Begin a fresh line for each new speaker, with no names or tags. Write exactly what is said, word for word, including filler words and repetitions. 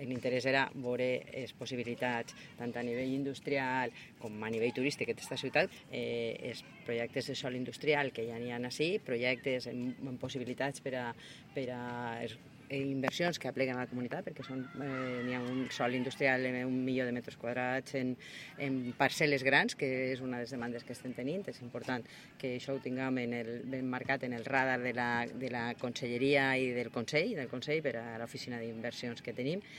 l'interès era veure les possibilitats tant a nivell industrial com a nivell turístic d'aquesta ciutat, eh, els projectes de sòl industrial que ja n'hi ha així, projectes amb, amb possibilitats per a, per a inversions que apleguen a la comunitat, perquè són, eh, n'hi ha un sòl industrial en un milió de metres quadrats en, en parcel·les grans, que és una de les demandes que estem tenint. És important que això ho tinguem en el, ben marcat en el radar de la, de la Conselleria i del Consell, del Consell per a l'oficina d'inversions que tenim.